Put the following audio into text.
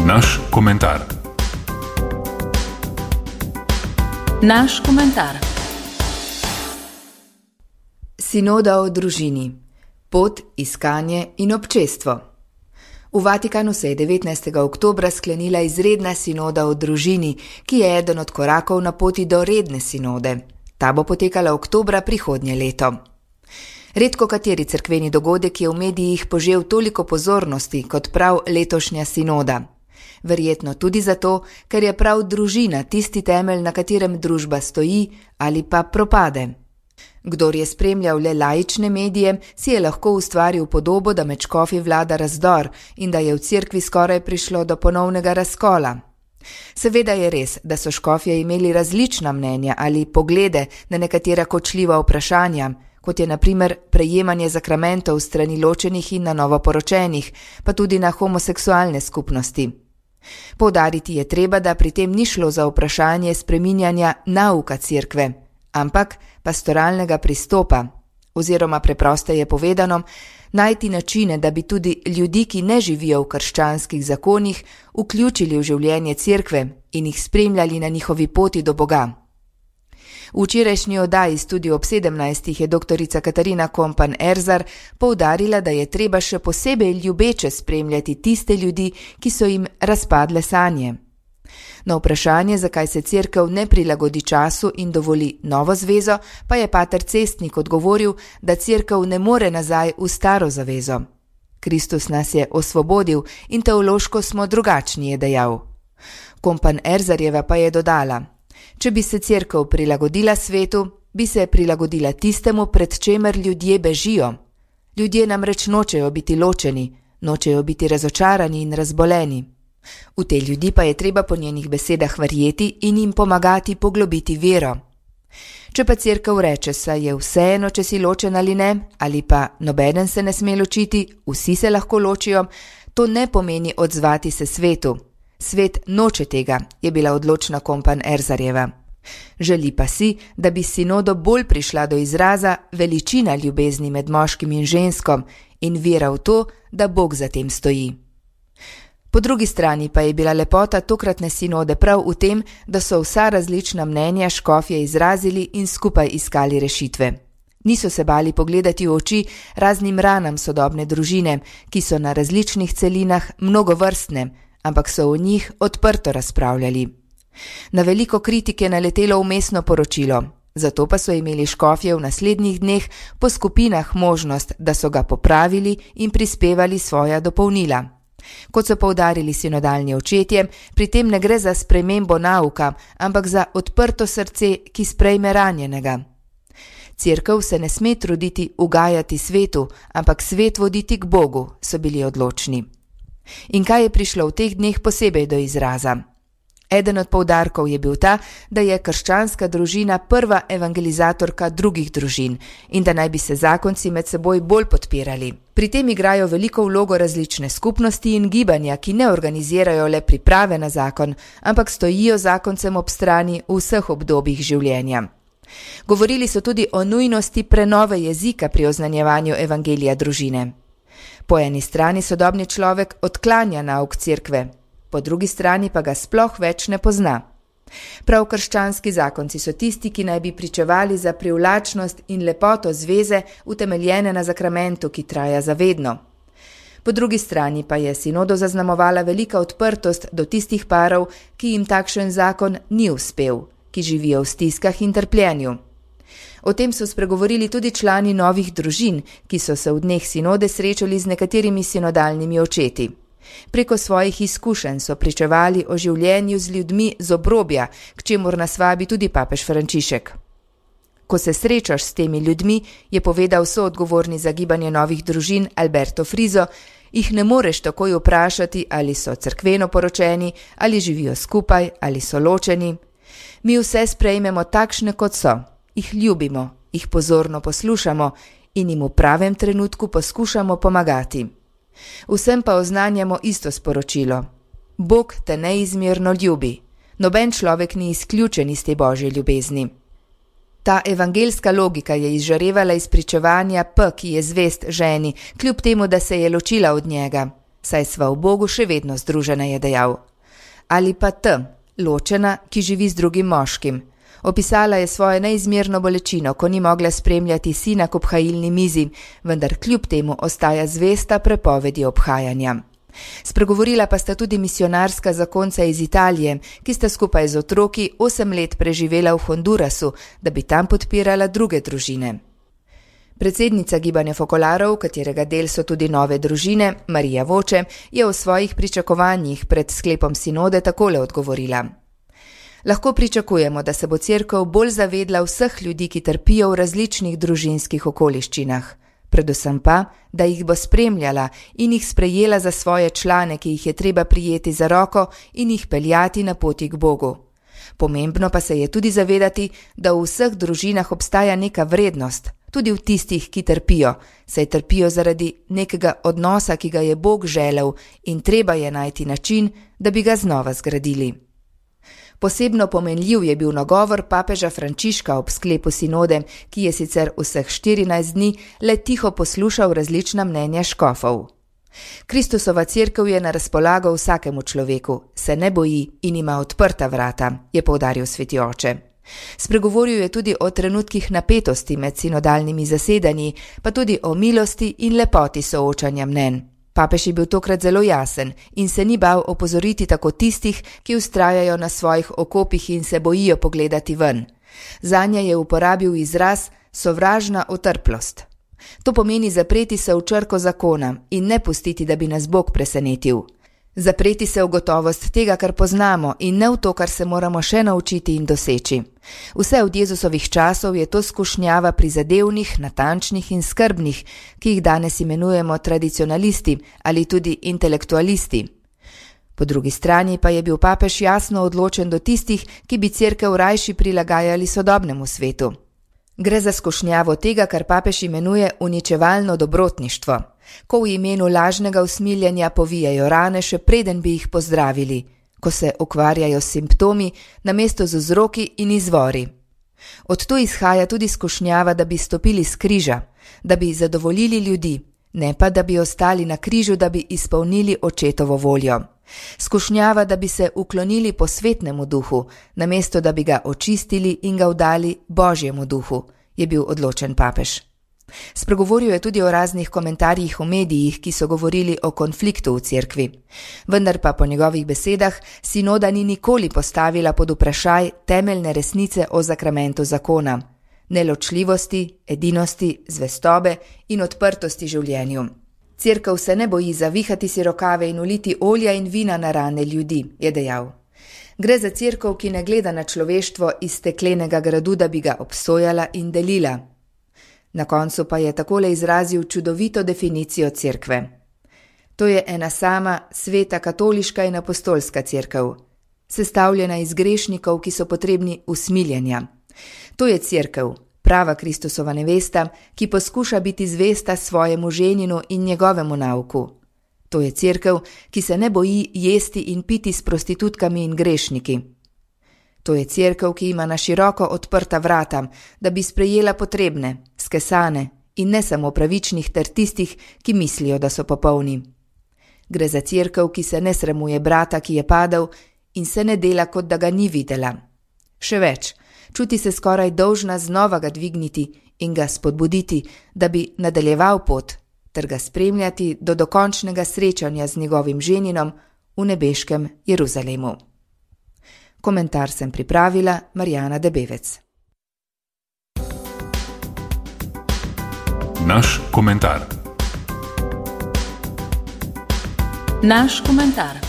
Naš komentar. Naš komentar. Sinoda o družini. Pot, iskanje in občestvo. V Vatikanu se je 19. oktobra sklenila izredna sinoda o družini, ki je eden od korakov na poti do redne sinode. Ta bo potekala oktobra prihodnje leto. Redko kateri cerkveni dogodek je v medijih požel toliko pozornosti kot prav letošnja sinoda. Verjetno tudi zato, ker je prav družina tisti temelj, na katerem družba stoji ali pa propade. Kdor je spremljal le laične medije, si je lahko ustvaril podobo, da med škofi vlada razdor in da je v cerkvi skoraj prišlo do ponovnega razkola. Seveda je res, da so škofje imeli različna mnenja ali poglede na nekatera kočljiva vprašanja, kot je na primer prejemanje zakramentov strani ločenih in na novo poročenih, pa tudi na homoseksualne skupnosti. Poudariti je treba, da pri tem ni šlo za vprašanje spreminjanja nauka cerkve, ampak pastoralnega pristopa, oziroma preprosteje povedano, najti načine, da bi tudi ljudi, ki ne živijo v krščanskih zakonih, vključili v življenje cerkve in jih spremljali na njihovi poti do Boga. V včerajšnji oddaji Studio ob 17 je doktorica Katarina Kompan-Erzar poudarila, da je treba še posebej ljubeče spremljati tiste ljudi, ki so jim razpadle sanje. Na vprašanje, zakaj se cerkev ne prilagodi času in dovoli novo zvezo, pa je pater Cestnik odgovoril, da cerkev ne more nazaj v staro zavezo. Kristus nas je osvobodil in teološko smo drugačni, je dejal. Kompan-Erzarjeva pa je dodala: če bi se cerkev prilagodila svetu, bi se prilagodila tistemu, pred čemer ljudje bežijo. Ljudje namreč nočejo biti ločeni, nočejo biti razočarani in razboleni. V te ljudi pa je treba po njenih besedah verjeti in jim pomagati poglobiti vero. Če pa cerkev reče, saj je vseeno, če si ločen ali ne, ali pa nobeden se ne sme ločiti, vsi se lahko ločijo, to ne pomeni odzvati se svetu. Svet noče tega, je bila odločna Kompan-Erzarjeva. Želi pa si, da bi sinodo bolj prišla do izraza veličina ljubezni med moškim in ženskom in vera v to, da Bog za tem stoji. Po drugi strani pa je bila lepota tokratne sinode prav v tem, da so vsa različna mnenja škofje izrazili in skupaj iskali rešitve. Niso se bali pogledati v oči raznim ranam sodobne družine, ki so na različnih celinah mnogovrstne, ampak so o njih odprto razpravljali. Na veliko kritike je naletelo vmesno poročilo, zato pa so imeli škofje v naslednjih dneh po skupinah možnost, da so ga popravili in prispevali svoja dopolnila. Kot so poudarili sinodalni očetje, pri tem ne gre za spremembo nauka, ampak za odprto srce, ki sprejme ranjenega. Cerkev se ne sme truditi ugajati svetu, ampak svet voditi k Bogu, so bili odločni. In kaj je prišlo v teh dneh posebej do izraza? Eden od poudarkov je bil ta, da je krščanska družina prva evangelizatorka drugih družin in da naj bi se zakonci med seboj bolj podpirali. Pri tem igrajo veliko vlogo različne skupnosti in gibanja, ki ne organizirajo le priprave na zakon, ampak stojijo zakoncem ob strani v vseh obdobjih življenja. Govorili so tudi o nujnosti prenove jezika pri oznanjevanju evangelija družine. Po eni strani sodobni človek odklanja nauk cerkve, po drugi strani pa ga sploh več ne pozna. Prav krščanski zakonci so tisti, ki naj bi pričevali za privlačnost in lepoto zveze, utemeljene na zakramentu, ki traja zavedno. Po drugi strani pa je sinodo zaznamovala velika odprtost do tistih parov, ki jim takšen zakon ni uspel, ki živijo v stiskah in trpljenju. O tem so spregovorili tudi člani novih družin, ki so se v dneh sinode srečali z nekaterimi sinodalnimi očeti. Preko svojih izkušenj so pričevali o življenju z ljudmi z obrobja, k čemur nas vabi tudi papež Frančišek. Ko se srečaš s temi ljudmi, je povedal soodgovorni za gibanje novih družin Alberto Frizo, jih ne moreš takoj vprašati, ali so cerkveno poročeni, ali živijo skupaj, ali so ločeni. Mi vse sprejmemo takšne, kot so, jih ljubimo, jih pozorno poslušamo in jim v pravem trenutku poskušamo pomagati. Vsem pa oznanjamo isto sporočilo. Bog te neizmerno ljubi. Noben človek ni izključen iz te božje ljubezni. Ta evangelska logika je izžarevala iz pričevanja P, ki je zvest ženi, kljub temu, da se je ločila od njega. saj sva v Bogu še vedno združena, je dejal. Ali pa T, ločena, ki živi z drugim moškim. Opisala je svojo neizmerno bolečino, ko ni mogla spremljati sina k obhajilni mizi, vendar kljub temu ostaja zvesta prepovedi obhajanja. Spregovorila pa sta tudi misionarska zakonca iz Italije, ki sta skupaj z otroki 8 let preživela v Hondurasu, da bi tam podpirala druge družine. Predsednica gibanja Fokolarov, katerega del so tudi nove družine, Marija Voče, je o svojih pričakovanjih pred sklepom sinode takole odgovorila. Lahko pričakujemo, da se bo cerkev bolj zavedla vseh ljudi, ki trpijo v različnih družinskih okoliščinah. Predvsem pa, da jih bo spremljala in jih sprejela za svoje člane, ki jih je treba prijeti za roko in jih peljati na poti k Bogu. Pomembno pa se je tudi zavedati, da v vseh družinah obstaja neka vrednost, tudi v tistih, ki trpijo, saj trpijo zaradi nekega odnosa, ki ga je Bog želel in treba je najti način, da bi ga znova zgradili. Posebno pomenljiv je bil nagovor papeža Frančiška ob sklepu sinode, ki je sicer vseh 14 dni le tiho poslušal različna mnenja škofov. Kristusova cerkev je na razpolago vsakemu človeku, se ne boji in ima odprta vrata, je poudaril sveti oče. Spregovoril je tudi o trenutkih napetosti med sinodalnimi zasedanji, pa tudi o milosti in lepoti soočanja mnenj. Papež je bil tokrat zelo jasen in se ni bal opozoriti tako tistih, ki vztrajajo na svojih okopih in se bojijo pogledati ven. Zanje je uporabil izraz sovražna otrplost. To pomeni zapreti se v črko zakona in ne pustiti, da bi nas Bog presenetil. Zapreti se v gotovost tega, kar poznamo in ne v to, kar se moramo še naučiti in doseči. Vse od Jezusovih časov je to skušnjava prizadevnih, natančnih in skrbnih, ki jih danes imenujemo tradicionalisti ali tudi intelektualisti. Po drugi strani pa je bil papež jasno odločen do tistih, ki bi cerkev rajši prilagajali sodobnemu svetu. Gre za skušnjavo tega, kar papež imenuje uničevalno dobrotništvo, ko v imenu lažnega usmiljenja povijajo rane, še preden bi jih pozdravili, ko se ukvarjajo s simptomi namesto z vzroki in izvori. Od tu izhaja tudi skušnjava, da bi stopili s križa, da bi zadovoljili ljudi, ne pa da bi ostali na križu, da bi izpolnili očetovo voljo. Skušnjava, da bi se uklonili posvetnemu duhu, namesto da bi ga očistili in ga vdali Božjemu duhu, je bil odločen papež. Spregovoril je tudi o raznih komentarjih v medijih, ki so govorili o konfliktu v cerkvi. Vendar pa po njegovih besedah sinoda ni nikoli postavila pod vprašaj temeljne resnice o zakramentu zakona, neločljivosti, edinosti, zvestobe in odprtosti življenju. Cerkev se ne boji zavihati si rokave in uliti olja in vina na rane ljudi, je dejal. Gre za cerkev, ki ne gleda na človeštvo iz steklenega gradu, da bi ga obsojala in delila. Na koncu pa je takole izrazil čudovito definicijo cerkve. To je ena sama, sveta katoliška in apostolska cerkev, sestavljena iz grešnikov, ki so potrebni usmiljenja. To je cerkev, prava Kristusova nevesta, ki poskuša biti zvesta svojemu ženinu in njegovemu nauku. To je cerkev, ki se ne boji jesti in piti s prostitutkami in grešniki. To je cerkev, ki ima na široko odprta vrata, da bi sprejela potrebne, skesane in ne samo pravičnih ter tistih, ki mislijo, da so popolni. Gre za cerkev, ki se ne sramuje brata, ki je padel in se ne dela, kot da ga ni videla. Še več, čuti se skoraj dolžna znova ga dvigniti in ga spodbuditi, da bi nadaljeval pot, ter ga spremljati do dokončnega srečanja z njegovim ženinom v nebeškem Jeruzalemu. Komentar sem pripravila Marjana Debevec. Naš komentar. Naš komentar.